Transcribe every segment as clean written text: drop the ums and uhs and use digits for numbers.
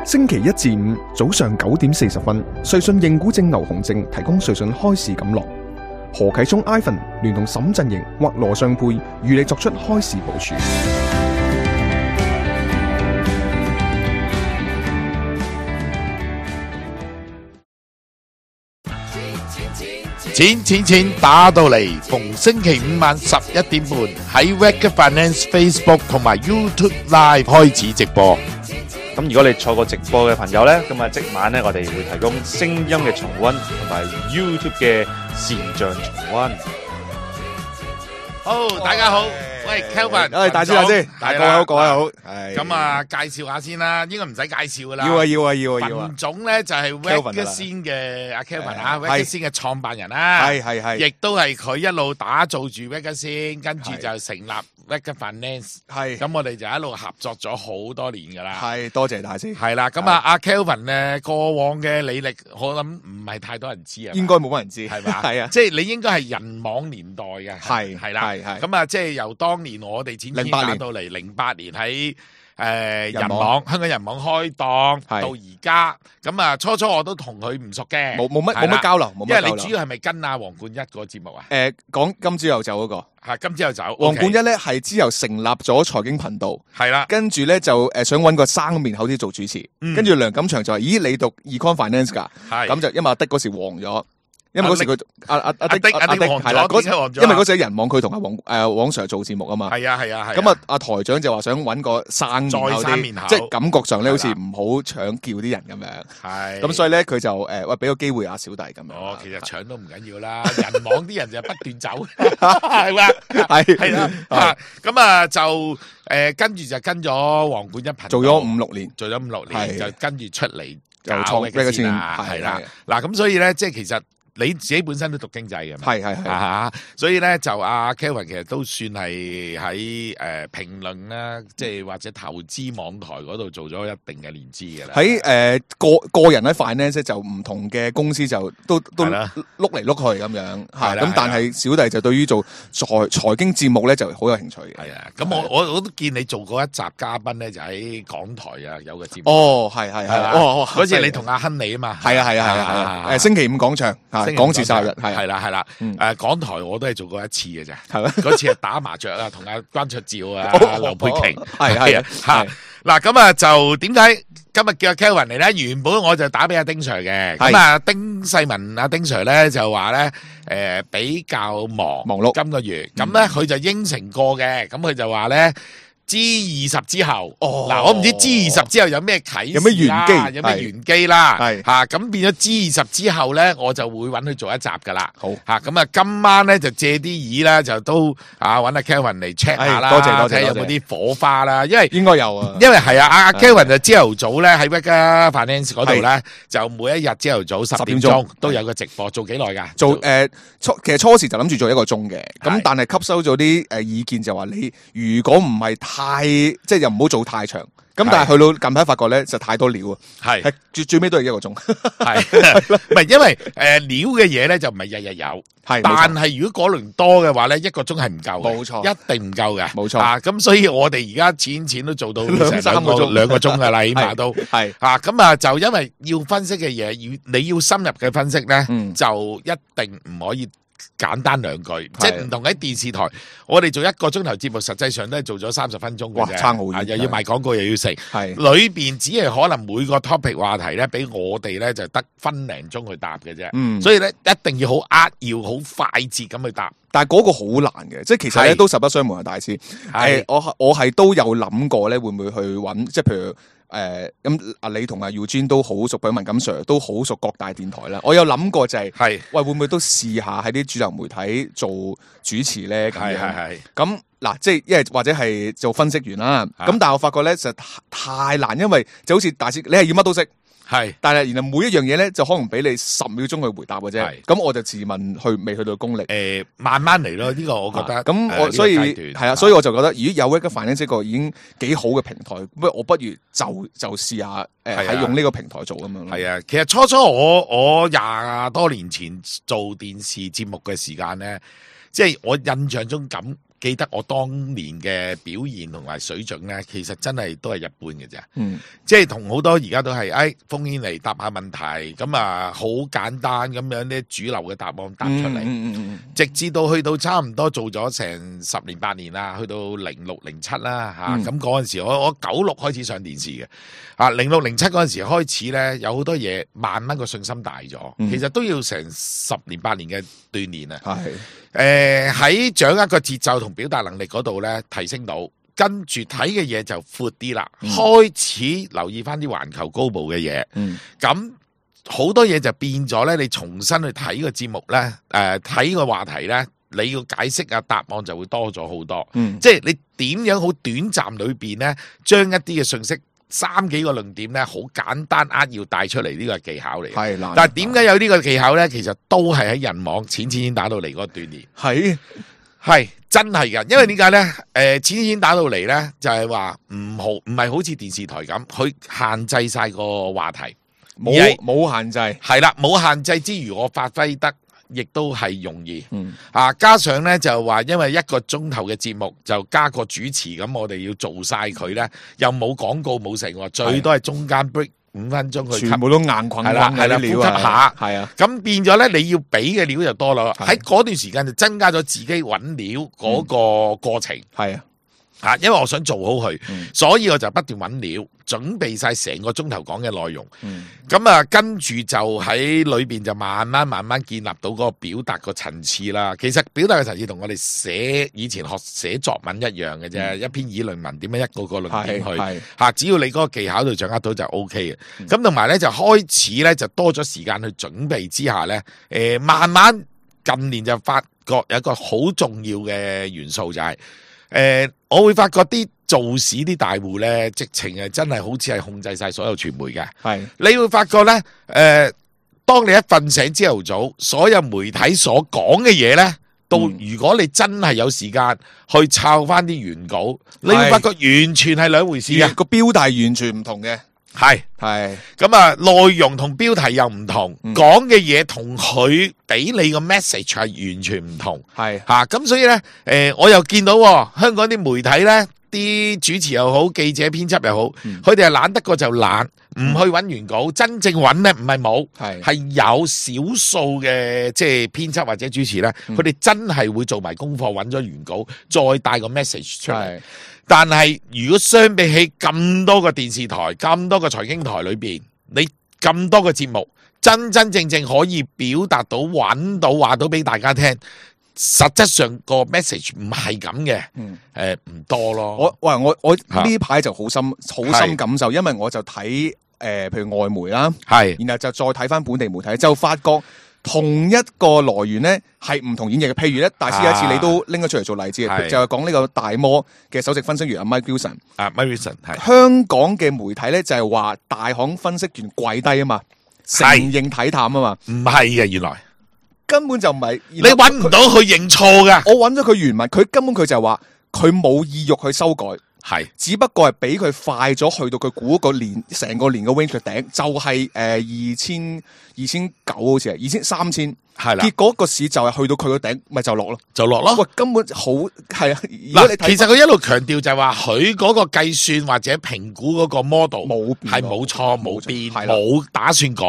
星期一至五早上9點40分，瑞信認股證牛熊證提供瑞信開市錦囊。何啟聰 Ivan 聯同沈振盈或羅尚佩與你作出開市部署。錢打到嚟，逢星期五晚11點半喺 Wega Finance Facebook 同埋 YouTube Live 開始直播。咁如果你錯過直播嘅朋友呢，咁啊即晚呢，我哋會提供聲音嘅重溫同埋 YouTube 嘅視像重溫。好，大家好，喂 Kelvin，大師，大家好，各位好。咁啊，介紹下先啦，應該唔使介紹噶啦。要啊。文總咧就係 Wega 先嘅阿 Kelvin 啊 ，Wega 先嘅創辦人啦，係，亦都係佢一路打造住 Wega 先，跟住就成立 Wega Finance。係，咁我哋就一路合作咗好多年噶啦。係，多謝大師。係啦，咁啊，阿 Kelvin 咧過往嘅履歷，我諗唔係太多人知啊。應該冇乜人知，係嘛？係啊，即係你應該係人網年代嘅。係啦，係。咁啊，即係由當年我哋錢打到嚟08年喺人網香港人網開檔到而家，咁啊初我都同佢唔熟嘅，冇乜交流，因為你主要係咪跟阿黃冠一個節目啊？講今朝有酒嗰個係今朝有酒，黃冠一咧係之後成立咗財經頻道，係啦，跟住咧就想搵個生面口啲做主持，跟住梁錦祥就話：咦，你讀 Econ Finance 噶？咁就因為阿的嗰時黃咗。因為嗰時佢阿的係啦，因為嗰時人網佢同阿黃 Sir 做節目啊嘛，係啊，咁啊阿台長就話想揾個生面口，即係感覺上咧好似唔好搶叫啲人咁樣，係咁所以咧佢就喂俾個機會阿小弟咁樣。哦，其實搶都唔緊要啦，人網啲人就不斷走，係嘛，係啦，咁啊就跟住就跟咗黃冠一頻道做咗5-6年，就跟住出嚟就創Wega先啦，係啦，嗱咁所以咧即係其實。你自己本身都讀經濟嘅嘛？係，所以咧就阿 Kelvin 其實都算係喺評論啦，即係或者投資網台嗰度做咗一定嘅年資嘅啦。喺個人喺 finance 就唔同嘅公司就都碌嚟碌去咁樣，係咁但係小弟就對於做財經節目咧就好有興趣嘅。係啊，咁我都見你做過一集嘉賓咧，就喺港台啊有個節目。哦，係啦，嗰次你同阿亨利啊嘛。係啊，星期五廣場。講自殺日係啦，港台我都係做過一次嘅啫，係咩？嗰次係打麻雀啊，同阿關卓照啊、劉佩瓊，係吓嗱，咁啊就點解今日叫阿 Kelvin 嚟咧？原本我就打俾阿丁 Sir 嘅，咁啊丁世文阿丁 Sir 咧就話咧比較忙碌今個月，咁咧佢就應承過嘅，咁佢就話咧。G20 之後，嗱我唔知 G20 之後有咩啟示，有咩玄機啦，吓咁變咗 G20 之後咧，我就會揾佢做一集噶啦。好吓咁啊，今晚咧就借啲意啦，就都揾阿 Kelvin 嚟 check 下啦，多謝睇有冇啲火花啦，因為應該有啊，因為係啊，阿 Kelvin 就朝頭早咧喺 Wega Finance 嗰度咧，就每一日朝頭早10點鐘都有個直播，做幾耐噶？做其實初時就諗住做1個鐘嘅，咁但係吸收咗啲意見就話你如果唔係太即係又唔好做太長，咁但係去到近排發覺咧就太多料啊，係最尾都係1個鐘，係唔係因為料嘅嘢咧就唔係日日有，係但係如果嗰輪多嘅話咧1個鐘係唔夠，冇錯，一定唔夠嘅，冇錯啊，咁所以我哋而家錢都做到成2個鐘噶啦，起碼都係啊，咁啊就因為要分析嘅嘢，你要深入嘅分析咧，就一定唔可以。簡單2句，即係唔同喺電視台，我哋做1個鐘頭節目，實際上都係做咗30分鐘嘅啫，差好遠，又要賣廣告又要食，係裏邊只係可能每個 topic 話題咧，俾我哋咧就得分零鐘去答嘅啫，所以咧一定要好扼要、好快捷咁去答。但係嗰個好難嘅，即係其實咧都實不相瞞啊，大師，我係都有諗過咧，會唔會去揾，即係譬如。咁你同阿 Eugene 都好熟，文錦 Sir 都好熟各大電台啦。我有諗過就係，喂會唔會都試下喺啲主流媒體做主持咧？係咁嗱，即係因為或者係做分析員啦。咁但係我發覺咧實太難，因為就好似大師，你係要乜都識。係，但係然後每一樣嘢咧，就可能俾你10秒鐘去回答嘅啫。咁我就自問未去到功力。慢慢嚟咯，呢個我覺得。咁我所以係啊，所以我就覺得，如果有Wega Finance個已經幾好嘅平台，我不如就試下喺用呢個平台做咁樣。係啊，其實初我20多年前做電視節目嘅時間咧，即係我印象中記得我當年嘅表現同埋水準咧，其實真係都係一般嘅啫。即係同好多而家都係，烽煙嚟答下問題，咁啊好簡單咁樣啲主流嘅答案答出嚟。直至到去到差唔多做咗成10年8年啦，去到06、07啦嚇，咁嗰陣時我96開始上電視嘅，06、07嗰陣時開始咧，有好多嘢慢慢個信心大咗，其實都要成10年8年嘅鍛鍊啊。喺掌握個節奏同表達能力嗰度咧提升到，跟住睇嘅嘢就闊啲啦，開始留意翻啲環球高部嘅嘢，咁好多嘢就變咗咧。你重新去睇個節目咧，睇個話題咧，你要解釋答案就會多咗好多。即係你點樣好短暫裏邊咧，將一啲嘅信息3幾個論點咧，好簡單要帶出嚟，呢個係技巧嚟。係，但係點解有呢個技巧咧？其實都係喺人網淺打到嚟嗰個鍛鍊。係真係噶，因為點解咧？淺打到嚟咧，就係話唔係好似電視台咁，佢限制晒個話題，冇限制。係啦，冇限制之餘，我發揮得亦都係容易。加上咧就話，因為1個鐘頭嘅節目就加個主持，咁我哋要做晒佢咧，又冇廣告冇成，最多係中間 break 5分鐘去吸，全部都硬捆係啦，呼吸下，係啊，咁變咗咧，你要俾嘅料就多啦。喺嗰段時間就增加咗自己揾料嗰個過程，係因為我想做好佢，所以我就不斷揾料，準備晒成個鐘頭講嘅內容。咁跟住就喺裏邊就慢慢建立到嗰個表達個層次啦。其實表達嘅層次同我哋以前學寫作文一樣嘅啫，一篇議論文點樣一個個論點去只要你嗰個技巧度掌握到就 O K 嘅。咁同埋咧就開始咧就多咗時間去準備之下咧，慢慢近年就發覺有一個好重要嘅元素就係。我會發覺啲做市啲大戶咧，直情係真係好似係控制晒所有傳媒嘅。你會發覺咧，當你一瞓醒朝頭早，所有媒體所講嘅嘢咧，到如果你真係有時間去抄翻啲原稿，你會發覺完全係兩回事嘅，個標題完全唔同嘅。係咁內容同標題又唔同，講嘅嘢同佢俾你個 message 係完全唔同。咁所以咧，我又見到香港啲媒體咧，啲主持又好，記者編輯又好，佢哋係懶得過就懶，唔去揾原稿。真正揾咧唔係冇，係有少數嘅即係編輯或者主持咧，佢哋真係會做埋功課，揾咗原稿，再帶個 message 出嚟。但係如果相比起咁多個電視台、咁多個財經台裏邊，你咁多個節目，真真正正可以表達到、揾到、話到俾大家聽，實質上個 message 唔係咁嘅，唔多咯。我呢排就好深感受，因為我就睇譬如外媒啦，然後就再睇翻本地媒體，就發覺。同一個來源咧係唔同演繹嘅，譬如咧，大師有一次你都拎咗出嚟做例子，就係講呢個大摩嘅首席分析員阿 Mike Wilson。Mike Wilson 係香港嘅媒體咧就係話大行分析員跪低啊嘛，承認睇淡啊嘛，唔係嘅，原來根本就唔係，你揾唔到佢認錯噶。我揾咗佢原文，佢根本佢就係話佢冇意欲去修改。只不過係俾佢快咗去到佢估個年成個年嘅 range 頂，就係2900好似係3000，結果個市就係去到佢個頂，咪就落咯，喂，根本好係啊！其實佢一路強調就係話佢嗰個計算或者評估嗰個 model 係冇錯冇變冇打算改，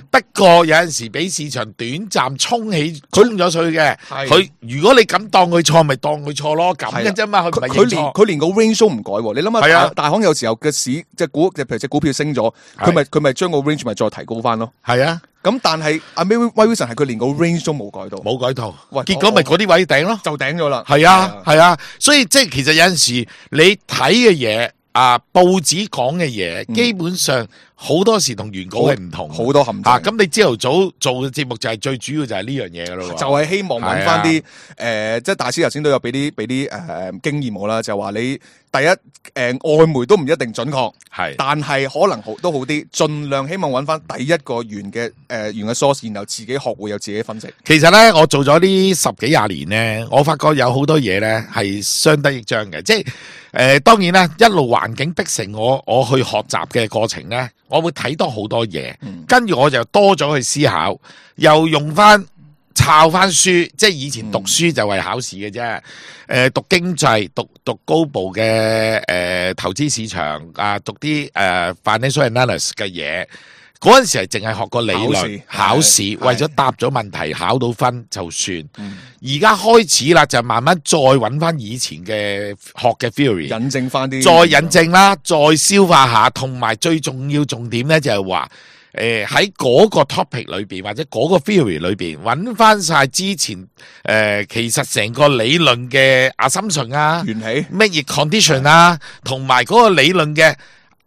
不過有陣時俾市場短暫衝咗佢嘅，佢如果你咁當佢錯，咪當佢錯咯，咁嘅啫嘛，佢連個 range 都唔改，你諗下大行有時候嘅市即係譬如隻股票升咗，佢咪將個 range 咪再提高翻咯，咁但係阿 Mike Wilson 係佢連個 range 都冇改到，結果咪嗰啲位頂咯，就頂咗啦。係啊，所以即係其實有陣時你睇嘅嘢報紙講嘅嘢，基本上好多時同原稿係唔同，好多陷阱。咁你朝頭早做嘅節目就係最主要就係呢樣嘢噶咯，就係希望揾翻啲即係大師頭先都有俾啲經驗我啦，就話你第一外媒都唔一定準確，但係可能都好啲，盡量希望揾翻第一個原嘅 source， 然後自己學會有自己分析。其實咧，我做咗呢10幾20年咧，我發覺有好多嘢咧係相得益彰嘅，即係當然啦，一路環境逼成我去學習嘅過程咧，我會睇多好多嘢，跟住我就多咗去思考，又用翻抄翻書，即係以前讀書就為考試嘅啫。讀經濟，讀高部嘅投資市場啊，讀啲financial analysis 嘅嘢。嗰陣時係淨係學個理論，考試為咗答咗問題考到分就算。而家開始啦，就慢慢再揾翻以前嘅學嘅 theory， 引證翻啲，再引證啦，再消化下，同埋最重點咧就係話，喺嗰個 topic 裏邊或者嗰個 theory 裏邊揾翻晒之前其實成個理論嘅 assumption 啊，緣起乜嘢 condition 啊，同埋嗰個理論嘅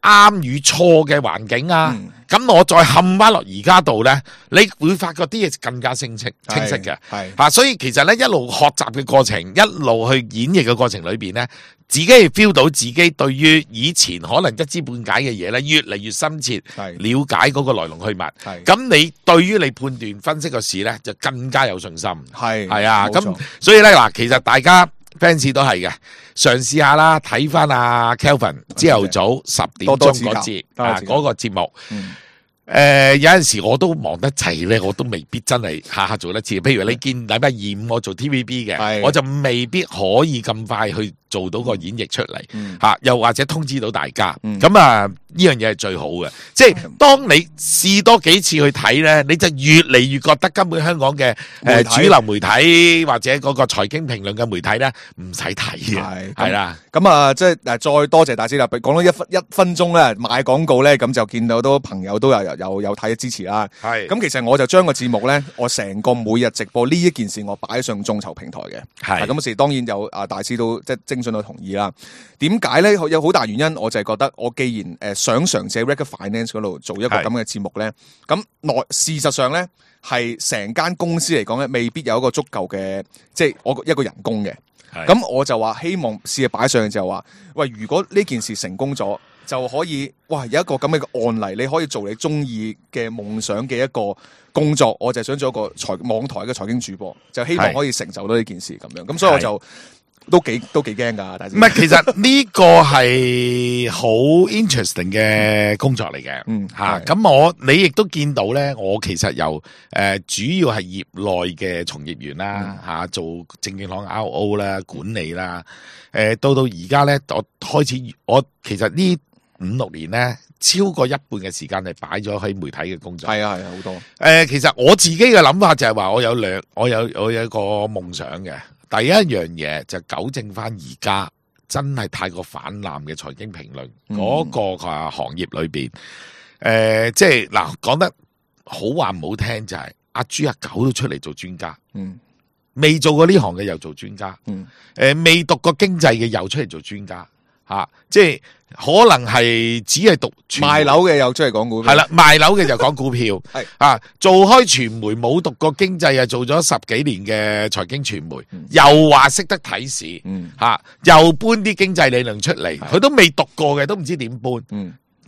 啱與錯嘅環境啊。咁我再冚翻落而家度咧，你會發覺啲嘢更加清晰嘅，所以其實咧一路學習嘅過程，一路去演繹嘅過程裏邊咧，自己係 feel 到自己對於以前可能一知半解嘅嘢咧，越嚟越深切了解嗰個來龍去脈。咁你對於你判斷分析個事咧，就更加有信心。係啊，咁所以咧嗱，其實大家 fans 都係嘅，嘗試下啦，睇翻阿 Kelvin 朝頭早10點鐘嗰節嗰個節目。有陣時我都忙得滯咧，我都未必真係下下做得切。譬如你見禮拜2、5我做 TVB 嘅，我就未必可以咁快去做到個演繹出嚟，又或者通知到大家。咁啊，呢樣嘢係最好嘅。即係當你試多幾次去睇咧，你就越嚟越覺得根本香港嘅主流媒體或者嗰個財經評論嘅媒體咧，唔使睇嘅，係啦。咁啊，即係再多謝大師啦。講咗一分鐘咧，賣廣告咧，咁就見到好多朋友都有睇支持啦。咁其實我就將個節目咧，我成個每日直播呢一件事，我擺上眾籌平台嘅。咁時當然有大師都即係徵詢到同意啦。點解咧？有好大原因，我就係覺得我既然想嘗試喺 Reckitt Finance 嗰度做一個咁嘅節目咧，咁事實上咧係成間公司嚟講咧，未必有一個足夠嘅即係我一個人工嘅。咁我就話希望試下擺上去就話，喂，如果呢件事成功咗，就可以哇有一個咁嘅案例，你可以做你中意嘅夢想嘅一個工作。我就想做一個網台嘅財經主播，就希望可以成就到呢件事咁樣。咁所以我就都幾驚噶。唔係，其實呢個係好 interesting 嘅工作嚟嘅。咁你亦都見到咧，我其實由主要係業內嘅從業員啦，做證券行 RO 啦、管理啦，到而家咧，我其實呢5-6年咧，超過一半嘅時間係擺咗喺媒體嘅工作。係啊，好多。其實我自己嘅諗法就係話，我有一個夢想嘅。第一樣嘢就糾正翻而家真係太過泛濫嘅財經評論嗰個行業裏邊，即係嗱，講得好話唔好聽就係阿豬阿狗都出嚟做專家，未做過呢行嘅又做專家，未讀過經濟嘅又出嚟做專家，即係可能係只係讀賣樓嘅又出嚟講股票，係啦，賣樓嘅就講股票，做開傳媒冇讀過經濟，做咗10幾年嘅財經傳媒，又話識得睇市，又搬啲經濟理論出嚟，佢都未讀過嘅，都唔知點搬，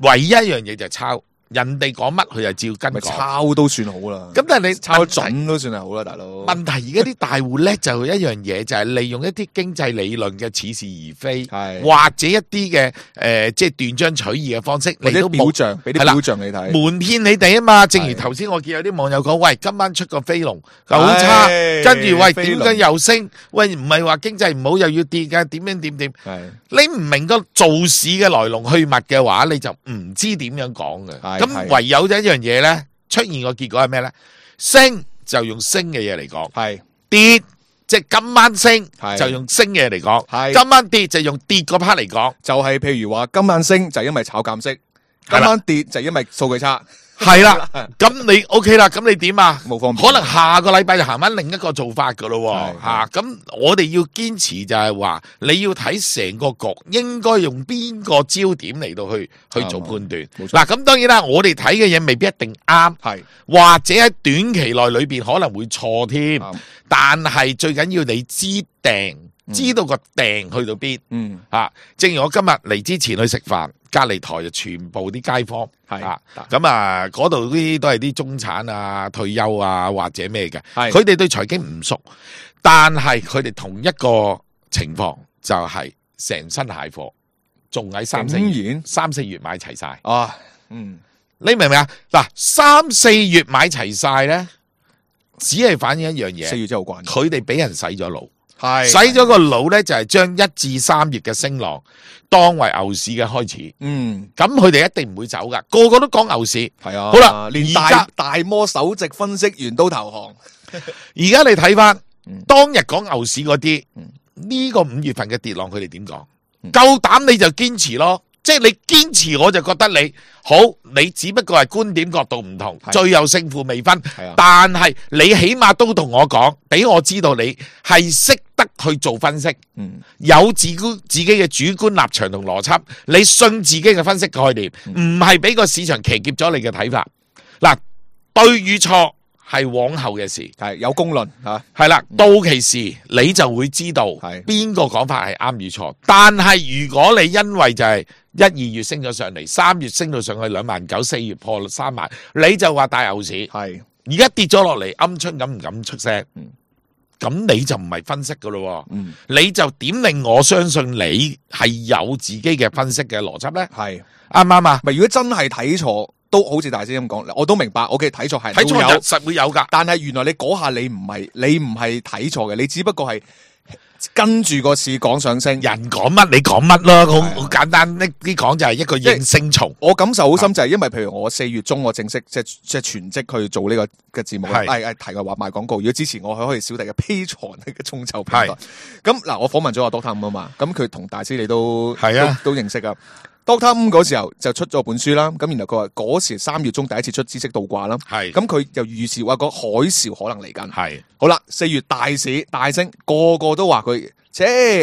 唯一一樣嘢就係抄。人哋講乜佢就照跟講，抄都算好啦。咁但係你抄準都算係好啦，大佬。問題而家啲大戶叻就一樣嘢，就係利用一啲經濟理論嘅似是而非，或者一啲嘅即係斷章取義嘅方式嚟到表象，俾啲表象你睇，瞞騙你哋啊嘛。正如頭先我見有啲網友講，喂，今晚出個飛龍好差，跟住喂點解又升？喂，唔係話經濟唔好又要跌㗎，點樣點？你唔明個做市嘅來龍去脈嘅話，你就唔知點樣講嘅。咁唯有一樣嘢咧，出現個結果係咩咧？升就用升嘅嘢嚟講，跌即係今晚升就用升嘅嘢嚟講，今晚跌就用跌嗰 part 嚟講。就係譬如話今晚升就係因為炒減息，今晚跌就係因為數據差。係啦，咁你 OK 啦，咁你點啊？冇方便，可能下個禮拜就行翻另一個做法噶咯，咁我哋要堅持就係話，你要睇成個局，應該用邊個焦點嚟到去做判斷。嗱，咁當然啦，我哋睇嘅嘢未必一定啱，或者喺短期內裏邊可能會錯添，但係最緊要你知道個訂去到邊。正如我今日嚟之前去食飯，隔離台就全部啲街坊，咁啊嗰度啲都係啲中產啊、退休啊或者咩嘅，佢哋對財經唔熟，但係佢哋同一個情況就係成身蟹貨，仲喺3-4月買齊晒。你明唔明啊？嗱，3-4月買齊晒咧，只係反映一樣嘢。4月真係好關，佢哋俾人洗咗腦，係洗咗個腦咧，就係將1至3月嘅升浪當為牛市嘅開始。咁佢哋一定唔會走噶，個個都講牛市。係啊，好啦，連大摩首席分析員都投降。而家你睇翻當日講牛市嗰啲，呢個5月份嘅跌浪，佢哋點講？夠膽你就堅持咯。即係你堅持，我就覺得你好，你只不過係觀點角度唔同，最後勝負未分。但係你起碼都同我講，俾我知道你係識得去做分析，有自己嘅主觀立場同邏輯，你信自己嘅分析概念，唔係俾個市場騎劫咗你嘅睇法。嗱，對與錯係往後嘅事，係有公論吓，係啦，到期時你就會知道邊個講法係啱與錯。但係如果你因為就係1、2月升咗上嚟，3月升到上去29000，4月破3萬，你就話大牛市。係而家跌咗落嚟，鵪鶉咁唔敢出聲，咁你就唔係分析噶咯。你就點令我相信你係有自己嘅分析嘅邏輯咧？係啱唔啱啊？如果真係睇錯，都好似大師咁講，我都明白。OK，睇錯係睇錯就實會有噶，但係原來你嗰下你唔係睇錯嘅，你只不過係跟住個市講上升。人講乜你講乜咯，好簡單。呢啲講就係一個應聲蟲。我感受好深就係因為譬如我4月中我正式即係全職去做呢個嘅節目，提嘅話賣廣告。如果之前我可以小弟嘅 Patreon 嘅眾籌平台，咁嗱我訪問咗阿 Doctor 啊嘛，咁佢同大師你都認識啊。Doctor 嗰時候就出咗本書啦，咁然後佢話嗰時3月中第一次出知識倒掛啦，咁佢就預示話個海嘯可能嚟緊，好啦，4月大市大升，個個都話佢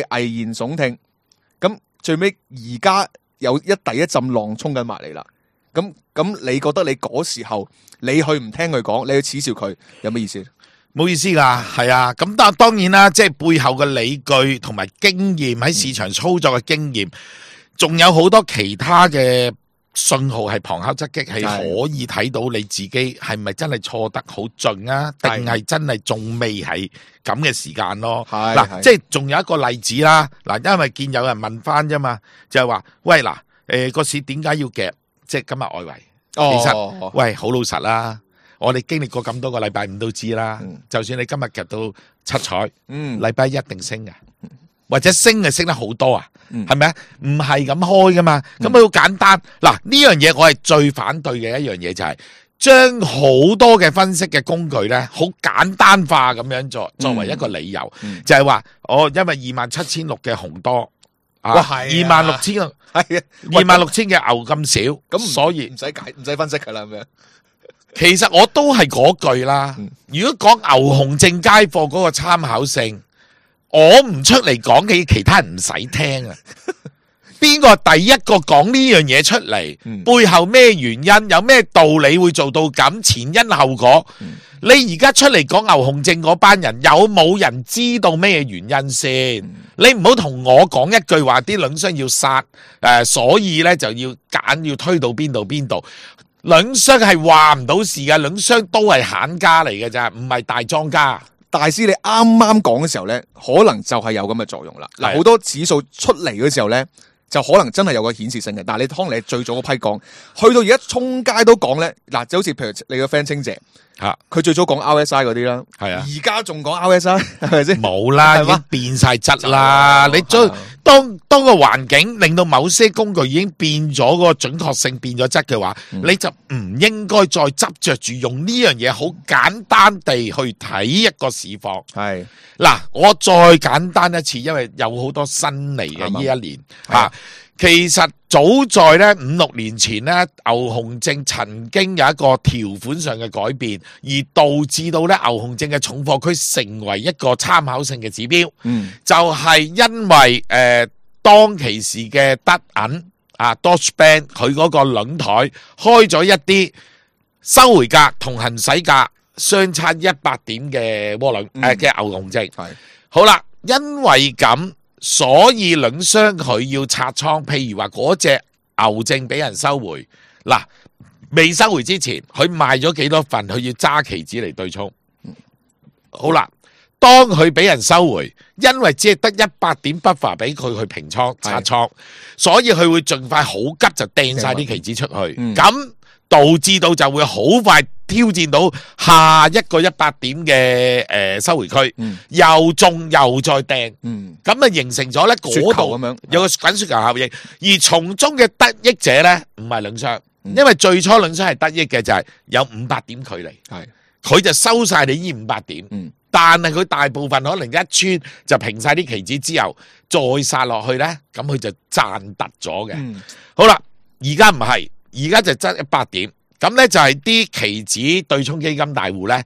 危言聳聽，咁最尾而家有第一陣浪衝緊埋嚟啦，咁你覺得你嗰時候你去唔聽佢講，你去恥笑佢，有咩意思？冇意思噶，係啊，咁當然啦，即係背後嘅理據同埋經驗喺市場操作嘅經驗。仲有好多其他嘅信號係旁敲側擊，係可以睇到你自己係咪真係錯得好盡啊？定係真係仲未係咁嘅時間咯？嗱，即係仲有一個例子啦。嗱，因為見有人問翻啫嘛，就係話喂嗱，個市點解要夾？即係今日外圍，其實喂好老實啦，我哋經歷過咁多個禮拜五都知啦。就算你今日夾到七彩，禮拜一定升嘅。或者升係升得好多啊，係咪啊？唔係咁開噶嘛，咁好簡單。嗱，呢樣嘢我係最反對嘅一樣嘢，就係將好多嘅分析嘅工具咧，好簡單化咁樣作為一個理由，就係話因為27600嘅紅多啊，26000係啊，26000嘅牛咁少，咁所以唔使分析噶啦咁樣。其實我都係嗰句啦，如果講牛熊證街貨嗰個參考性。我唔出嚟講嘅，其他人唔使聽啊！邊個第一個講呢樣嘢出嚟？背後咩原因？有咩道理會做到咁？前因後果？你而家出嚟講牛熊證嗰班人，有冇人知道咩原因先？你唔好同我講一句話，啲輪商要殺所以咧就要推到邊度？輪商係話唔到事嘅，輪商都係閒家嚟嘅咋，唔係大莊家。大師，你啱啱講嘅時候咧，可能就係有咁嘅作用啦。嗱，好多指數出嚟嘅時候咧，就可能真係有個顯示性嘅。但係你當你最早嗰批講，去到而家衝街都講咧，嗱，就好似譬如你個 friend 清姐，佢最早講 RSI 嗰啲啦，係啊，而家仲講 RSI 係咪先？冇啦，已經變晒質啦。你當個環境令到某些工具已經變咗個準確性變咗質嘅話，你就唔應該再執着住用呢樣嘢好簡單地去睇一個市況。係嗱，我再簡單一次，因為有好多新嚟嘅呢一年吓。其實早在咧5-6年前咧，牛熊證曾經有一個條款上嘅改變，而導致到咧牛熊證嘅重貨區成為一個參考性嘅指標。就係因為當其時嘅德銀Deutsche Bank 佢嗰個輪台開咗一啲收回價同行使價相差100點嘅窩輪嘅牛熊證。好啦，因為咁。所以輪商佢要拆倉，譬如話嗰隻牛證俾人收回，嗱，未收回之前，佢賣咗幾多份，佢要揸期指嚟對沖。好啦，當佢俾人收回，因為只係得100點 buffer 俾佢去平倉拆倉，所以佢會盡快好急就掟晒啲期指出去。咁導致到就會好快挑戰到下一個100點嘅收回區，又中又再掟，咁啊形成咗咧嗰度有個滾雪球效應，而從中嘅得益者咧唔係兩雙，因為最初兩雙係得益嘅就係有500點距離，佢就收晒你呢500點，但係佢大部分可能一穿就平晒啲棋子之後再殺落去咧，咁佢就賺突咗嘅。好啦，而家唔係，而家就執100點。咁咧就係啲期指對沖基金大戶咧，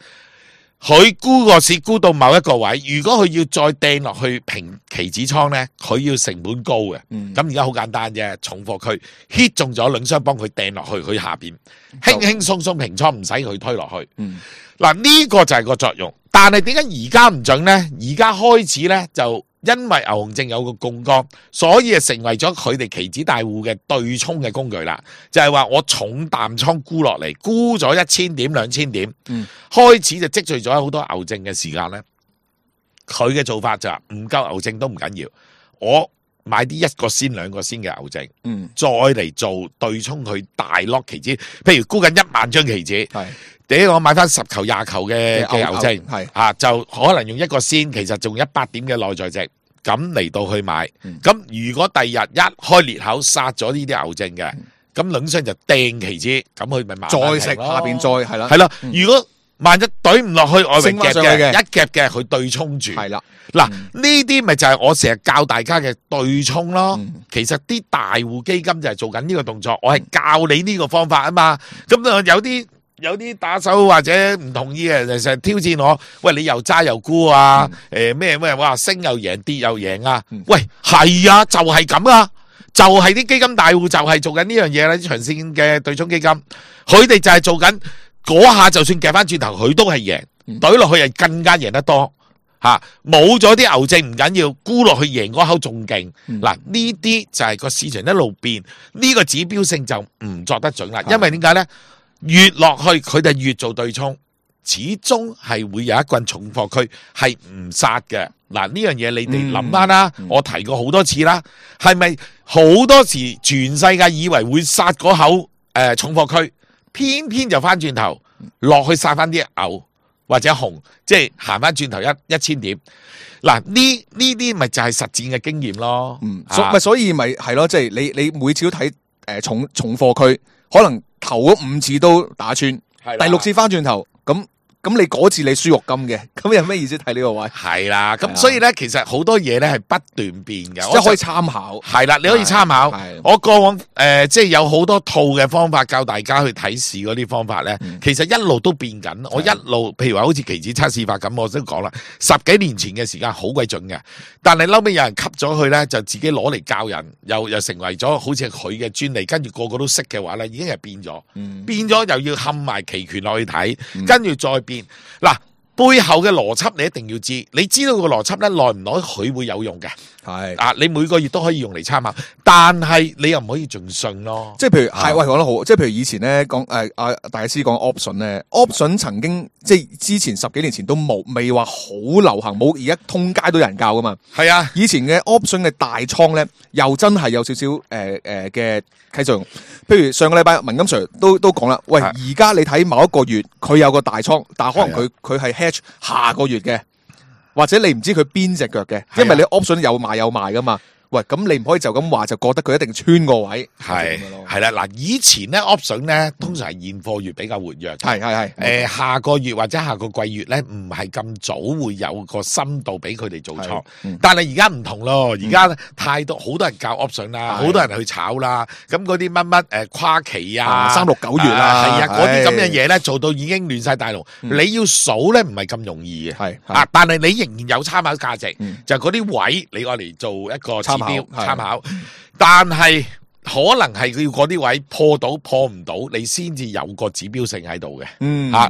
佢沽個市沽到某一個位，如果佢要再掟落去平期指倉咧，佢要成本高嘅。咁而家好簡單啫，重貨區 hit 中咗兩雙幫佢掟落去，佢下邊輕輕鬆鬆平倉，唔使佢推落去。嗱呢個就係個作用。但係點解而家唔準咧？而家開始咧就因為牛熊證有個槓桿，所以成為咗佢哋期指大戶嘅對沖嘅工具啦。就係話我重淡倉沽落嚟，沽咗1000點、2000點，開始就積聚咗好多牛證嘅時間咧。佢嘅做法就係唔夠牛證都唔緊要，我買啲1個先、2個先嘅牛證，再嚟做對沖佢大 lock 期指。譬如沽緊1萬張期指，我買翻10球、20球嘅牛證，就可能用1個先，其實仲100點嘅內在值，咁嚟到去買。咁如果第日一開裂口殺咗呢啲牛證嘅，咁兩雙就掟期指，咁佢咪再食下邊再係啦。係啦，如果萬一懟唔落去外圍夾嘅，一夾嘅佢對沖住。係啦，嗱呢啲咪就係我成日教大家嘅對沖咯。其實啲大戶基金就係做緊呢個動作，我係教你呢個方法啊嘛。咁有啲打手或者唔同意嘅，成日挑戰我，喂你又揸又沽啊，咩哇升又贏跌又贏啊，喂係啊，就係咁啊，就係啲基金大戶就係做緊呢樣嘢啦，啲長線嘅對沖基金，佢哋就係做緊嗰下，就算夾翻轉頭，佢都係贏，懟落去係更加贏得多吓，冇咗啲牛證唔緊要，沽落去贏嗰口仲勁。嗱呢啲就係個市場一路變，呢個指標性就唔作得準啦，因為點解咧？越落去佢哋越做對沖，始終係會有一棍重貨區係唔殺嘅。嗱呢樣嘢你哋諗翻啦，我提過好多次啦，係咪好多時全世界以為會殺嗰口重貨區，偏偏就翻轉頭落去殺翻啲牛或者熊，即係行翻轉頭1000點。嗱呢啲咪就係實戰嘅經驗咯。所以咪係咯，即係你每次都睇重貨區，可能頭嗰5次都打穿，第6次翻轉頭，咁你嗰次你輸肉金嘅，咁有咩意思睇呢個位？係啦，咁所以咧，其實好多嘢咧係不斷變嘅，即係可以參考。係啦，你可以參考。我過往即係有好多套嘅方法教大家去睇市嗰啲方法咧，其實一路都變緊。我一路譬如話好似期指測試法咁，我都講啦，10幾年前嘅時間好鬼準嘅，但係後尾有人吸咗佢咧，就自己攞嚟教人，又成為咗好似佢嘅專利，跟住個個都識嘅話咧，已經係變咗，變咗又要冚埋期權落去睇，跟住再變。嗱，背後嘅邏輯你一定要知，你知道個邏輯咧，耐唔耐佢會有用嘅。係啊，你每個月都可以用嚟參考，但係你又唔可以盡信咯。即係譬如係喂講得好，即係譬如以前咧講大師講 option 咧 ，option 曾經即係之前10幾年前都未話好流行，冇而家通街都有人教噶嘛。係啊，以前嘅 option 嘅大倉咧，又真係有少少嘅啟作用。譬如上個禮拜文金 Sir 都講啦，喂，而家你睇某一個月佢有個大倉，但係可能佢係 hedge 下個月嘅。或者你唔知佢邊隻腳嘅，因為你 option 有買有賣噶嘛。喂，咁你唔可以就咁話就覺得佢一定穿個位。係啦，嗱，以前咧 option 咧通常係現貨月比較活躍。係下個月或者下個季月咧唔係咁早會有個深度俾佢哋做倉。但係而家唔同咯，而家太多好多人教 option 啦，好多人去炒啦。咁嗰啲乜跨期啊，3、6、9月啊，係啊，嗰啲咁嘅嘢咧做到已經亂晒大龍。你要數咧唔係咁容易嘅。但係你仍然有參考價值，就係嗰啲位你愛嚟做一個參考，但係可能係要嗰啲位破到破唔到，你先至有個指標性喺度嘅。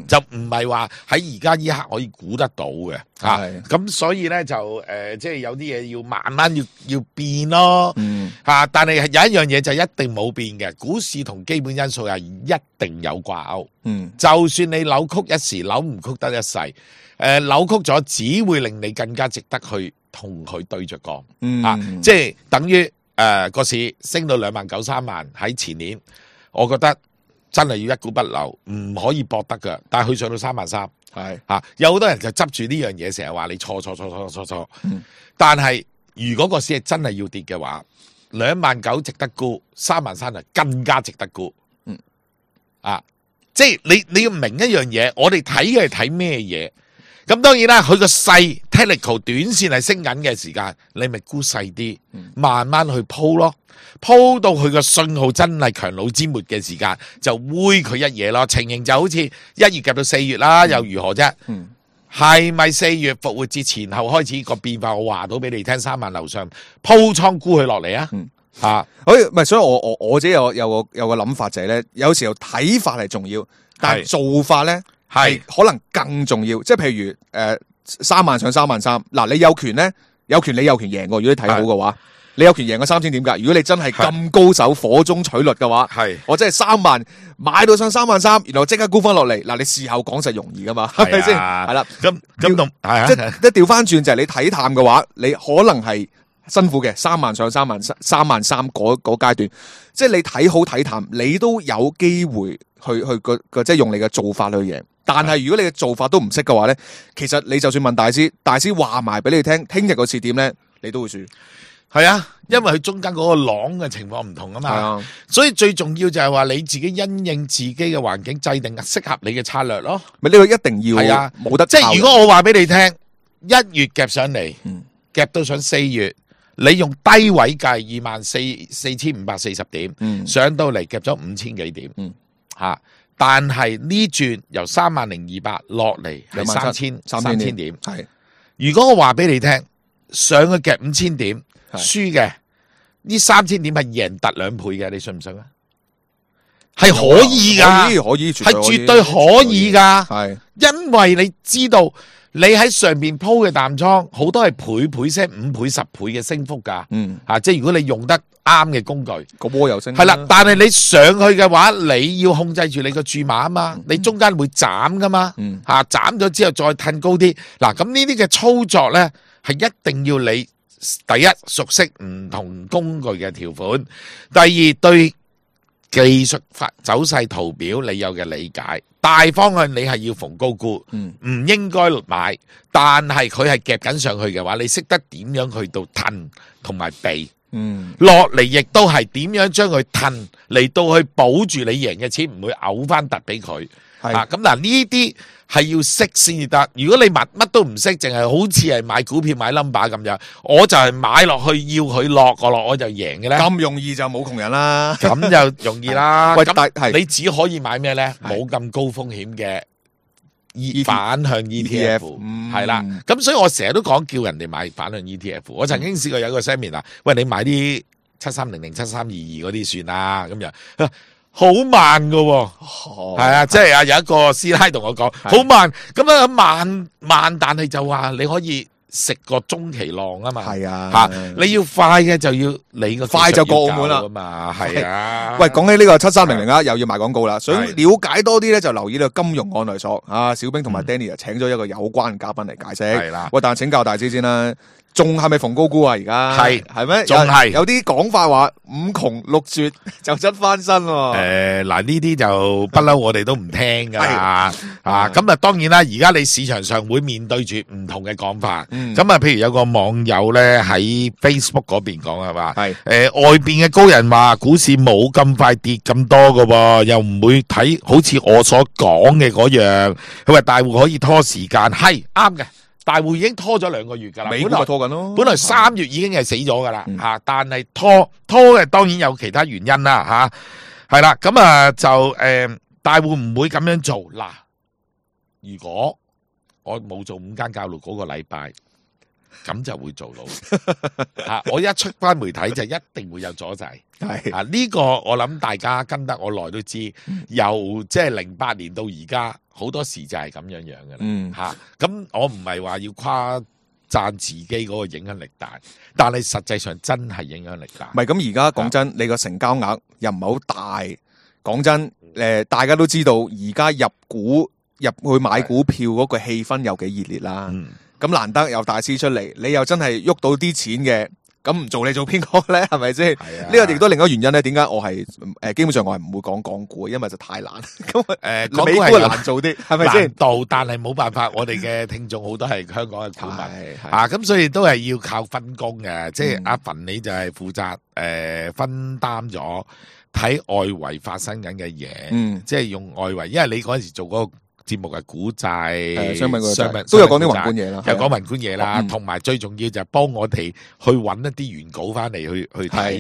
就唔係話喺而家呢刻可以估得到嘅。咁所以咧就即係有啲嘢要慢慢要變咯。但係有一樣嘢就一定冇變嘅，股市同基本因素係一定有掛鈎。就算你扭曲一時，扭唔曲得一世。扭曲咗只會令你更加值得去同佢對着幹。即係等於個市升到29000、30000喺前年，我覺得真係要一股不留，唔可以搏得噶。但係佢上到33000，係吓，有好多人就執住呢樣嘢，成日話你錯。但係如果個市係真係要跌嘅話，29000值得沽，33000就更加值得沽。即係你要明一樣嘢，我哋睇嘅係睇咩嘢？咁當然啦，佢個細 technical 短線係升緊嘅時間，你咪沽細啲，慢慢去鋪咯，鋪到佢個信號真係強弩之末嘅時間，就煨佢一嘢咯。情形就好似1月夾到4月啦，又如何啫？係咪4月復活節前後開始個變化？我話到俾你聽，3萬樓上鋪倉沽佢落嚟啊！唔係，所以我自己有個諗法就係咧，有時候睇法係重要，但係做法咧係可能更重要。即係譬如3萬上33000，嗱，你有權咧，你有權贏過。如果你睇好嘅話，你有權贏過3000點㗎。如果你真係咁高手火中取栗嘅話，我真係3萬買到上33000，然後即刻沽翻落嚟。嗱，你事後講實容易噶嘛，係咪先？係啦，咁同即係調翻轉就係你睇淡嘅話，你可能係辛苦嘅3萬上33000嗰階段，即係你睇好睇淡，你都有機會去即係用你嘅做法去贏。但係如果你嘅做法都唔識嘅話咧，其實你就算問大師話埋俾你聽，聽日個市點咧，你都會輸。係啊，因為佢中間嗰個浪嘅情況唔同啊嘛，所以最重要就係話你自己因應自己嘅環境，制定適合你嘅策略咯。咪呢個一定要係啊，冇得即係如果我話俾你聽，1月夾上嚟，夾到上4月。你用低位計24540點，上到嚟夾咗5000幾點，但係呢轉由30200落嚟係3000點，係。如果我話俾你聽，上去夾5000點，輸嘅呢3000點係贏突2倍嘅，你信唔信啊？係可以噶，可以，係絕對可以噶，係，因為你知道。你喺上邊鋪嘅淡倉，好多係倍聲5倍10倍嘅升幅噶，即係如果你用得啱嘅工具，個波又升，係啦。但係你上去嘅話，你要控制住你個注碼啊嘛，你中間會斬噶嘛，斬咗之後再褪高啲。嗱，咁呢啲嘅操作咧，係一定要你第一熟悉唔同工具嘅條款，第二對技術走勢圖表你有嘅理解。大方向你係要逢高沽，唔應該買。但係佢係夾緊上去嘅話，你識得點樣去到褪同埋避，落嚟亦都係點樣將佢褪嚟到去保住你贏嘅錢，唔會嘔翻突俾佢。咁嗱，呢啲係要識先至得。如果你乜都唔識，淨係好似係買股票買 number 咁樣，我就係買落去要佢落個落我就贏嘅咧。咁容易就冇窮人啦，咁就容易啦。喂，咁你只可以買咩咧？冇咁高風險嘅反向 ETF，係啦。咁所以我成日都講叫人哋買反向 ETF。我曾經試過有一個 seminar，喂，你買啲7300、7322嗰啲算啦，咁樣。好慢噶，係啊，即係有一個師奶同我講，好慢，咁樣慢，但係就話你可以食個中期浪啊嘛，係啊，你要快嘅就要你個快就過澳門啦嘛，係啊。喂，講起呢個7300啊，又要賣廣告啦，想了解多啲咧，就留意呢個金融案內所啊，小兵同埋 Danny 請咗一個有關嘉賓嚟解釋，係啦。喂，但係請教大師先啦。仲係咪逢高沽啊？而家係咩？仲係有啲講法話5窮6絕就質翻身。嗱，呢啲就不嬲，我哋都唔聽噶啦。咁啊，當然啦，而家你市場上會面對住唔同嘅講法。咁啊，譬如有個網友咧喺 Facebook 嗰邊講係嘛，外邊嘅高人話股市冇咁快跌咁多噶，又唔會睇好似我所講嘅嗰樣。佢話大戶可以拖時間，係啱嘅。大戶已經拖咗2個月噶啦，美股咪拖緊咯。本來3月已經係死咗噶啦，但係拖嘅當然有其他原因啦，係啦，咁啊就大戶唔會咁樣做嗱。如果我冇做5間教路嗰個禮拜，咁就會做到我一出翻媒體就一定會有阻滯。係呢個我諗大家跟得我耐都知，由即係08年到而家。好多時就係咁樣嘅啦，咁我唔係話要誇讚自己嗰個影響力大，但係實際上真係影響力大。唔係咁而家講真，你個成交額又唔係好大。講真，大家都知道而家入去買股票嗰個氣氛有幾熱烈啦。咁難得有大師出嚟，你又真係喐到啲錢嘅。咁唔做你做邊個咧？係咪先？呢個亦都另一個原因咧，點解我係基本上我係唔會講港股，因為就太難。咁港股係難做啲，係咪先？難度，但係冇辦法，我哋嘅聽眾好多係香港嘅股民咁所以都係要靠分工嘅。即係阿馮你就係負責分擔咗睇外圍發生緊嘅嘢，即係用外圍，因為你嗰陣時做嗰個節目係股債、商品都有講啲宏觀嘢啦，有講宏觀嘢啦，同埋最重要就係幫我哋去揾一啲原稿翻嚟去睇，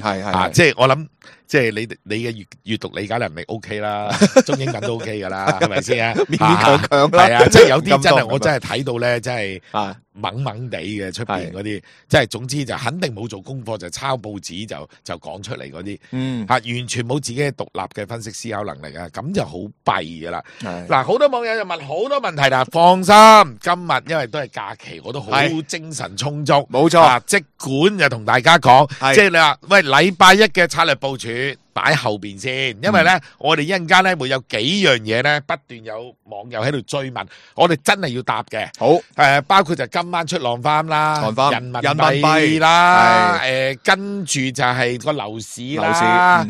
即係我諗，即係你嘅閱讀理解能力 OK 啦，中英文都 OK 噶啦，係咪先啊？勉勉強強啦，係啊，即係有啲真係我真係睇到咧，真係懵懵地嘅出邊嗰啲，即係總之就肯定冇做功課，就抄報紙就講出嚟嗰啲，完全冇自己嘅獨立嘅分析思考能力啊，咁就好弊噶啦。嗱，好多網友就問好多問題啦，放心，今日因為都係假期，我都好精神充足，冇錯，即管就同大家講，即係你話喂，禮拜一嘅策略部署擺後邊先，因為咧我哋一陣間咧會有幾樣嘢咧不斷有網友喺度追問，我哋真係要答嘅。好，包括就今晚出浪翻啦，人民幣啦，跟住就係個樓市啦，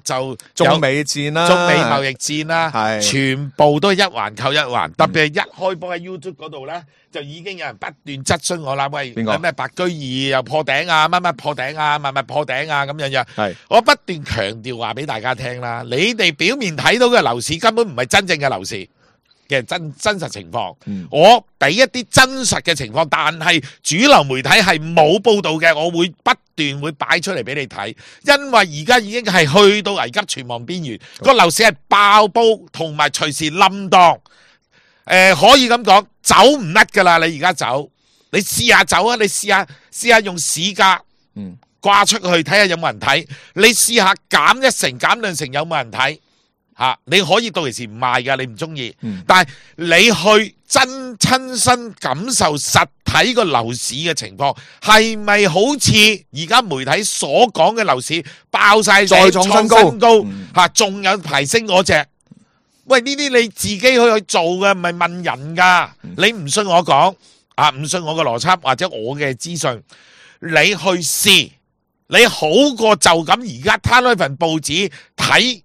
就中美戰啦，中美貿易戰啦，全部都係一環扣一環，特別係一開波喺 YouTube 嗰度咧，就已經有人不斷質詢我啦，喂，咩白居易又破頂啊，乜乜破頂啊，乜乜破頂啊，咁樣樣，我不斷強調話俾大家聽啦，你哋表面睇到嘅樓市根本唔係真正嘅樓市嘅真實情況，我俾一啲真實嘅情況，但係主流媒體係冇報道嘅，我會不斷會擺出嚟俾你睇，因為而家已經係去到危急存亡邊緣，個樓市係爆煲，同埋隨時冧檔，可以咁講，走唔甩噶啦，你而家走，你試下走啊，你試下用市價掛出去睇下有冇人睇，你試下減1成減2成有冇人睇吓，你可以到時唔賣噶，你唔中意，但係你去親身感受實體個樓市嘅情況，係咪好似而家媒體所講嘅樓市爆晒再創新高吓，仲有排升嗰隻？喂，呢啲你自己去做嘅，唔係問人噶，你唔信我講唔信我嘅邏輯或者我嘅資訊，你去試。你好過就咁而家攤開份報紙睇，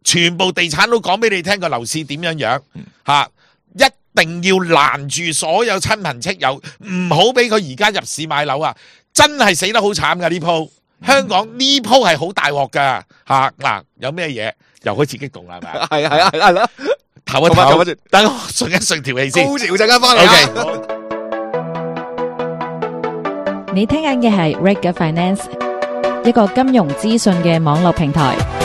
全部地產都講俾你聽個樓市點樣樣一定要攔住所有親朋戚友，唔好俾佢而家入市買樓啊！真係死得好慘噶呢鋪，香港呢鋪係好大鑊噶嗱，有咩嘢又開始激動啦，係咪？係啦，唞一唞，等我順一順條氣先，高潮陣間翻嚟。你聽緊嘅係 Reg Finance，一個金融資訊嘅網絡平台。